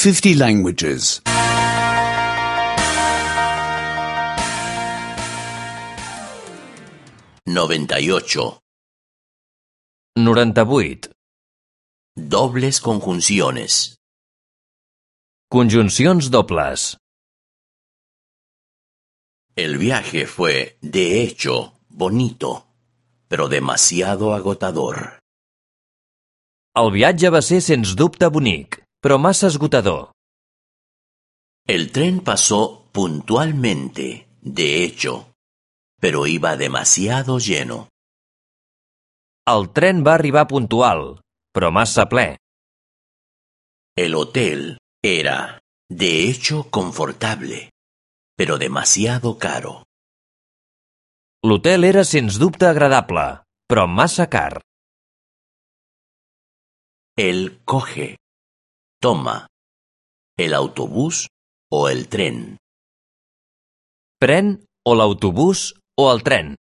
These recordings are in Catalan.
50 languages. 98. 98. Dobles conjunciones. Conjuncions dobles. El viaje fue, de hecho, bonito, pero demasiado agotador. El viatge va ser, sens dubte, bonic, però massa esgotador. El tren pasó puntualmente, de hecho, pero iba demasiado lleno. El tren va arribar puntual, però massa ple. El hotel era, de hecho, confortable, pero demasiado caro. L'hotel era, sens dubte, agradable, però massa car. Él coge, toma, el autobús o el tren. Pren o l'autobús o el tren.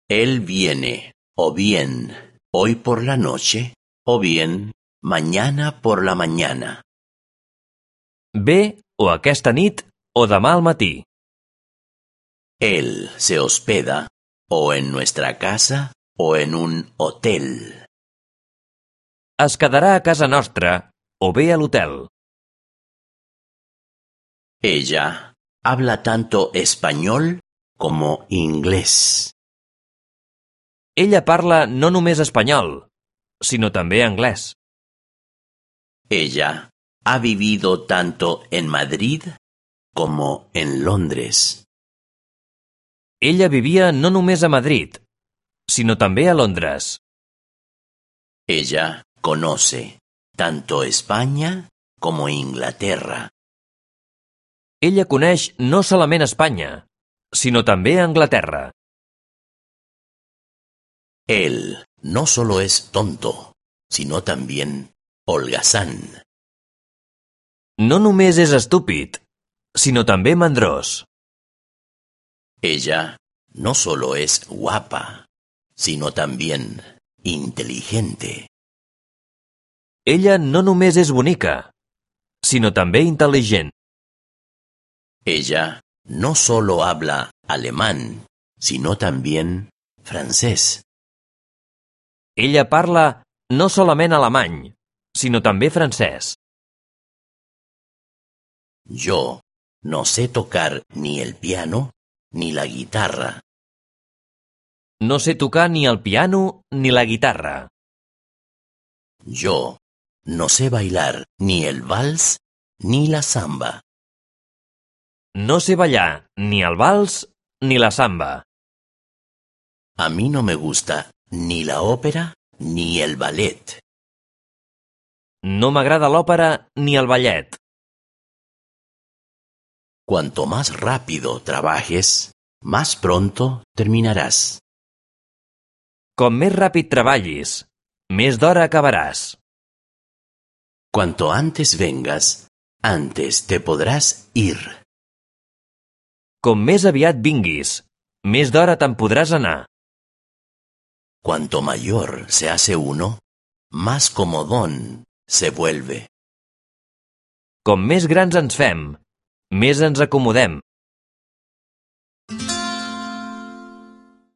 Él viene, o bien, hoy por la noche, o bien, mañana por la mañana. Ve o aquesta nit o demà al matí. Él se hospeda, o en nuestra casa, o en un hotel. Es quedarà a casa nostra o bé a l'hotel. Ella habla tanto español como inglés. Ella parla no només espanyol, sinó també anglès. Ella ha vivido tanto en Madrid como en Londres. Ella vivia no només a Madrid, sinó també a Londres. Ella conoce tanto España como Inglaterra. Ella coneix no solament Espanya, sinó també Anglaterra. Él no solo es tonto, sino también holgazán. No només és estúpid, sinó també mandrós. Ella no solo es guapa, sino también inteligente. Ella no només és bonica, sinó també intel·ligent. Ella no solo habla alemán, sino también francés. Ella parla no solament alemany, sinó també francès. Yo no sé tocar ni el piano ni la guitarra. No sé tocar ni el piano ni la guitarra. Yo no sé bailar ni el vals ni la samba. No sé ballar ni el vals ni la samba. A mí no me gusta ni la ópera ni el ballet. No m'agrada l'òpera ni el ballet. Cuanto más rápido trabajes, más pronto terminarás. Com més ràpid treballis, més d'hora acabaràs. Cuanto antes vengas, antes te podrás ir. Com més aviat vinguis, més d'hora te'n podràs anar. Cuanto mayor se hace uno, más comodón se vuelve. Com més grans ens fem, més ens acomodem.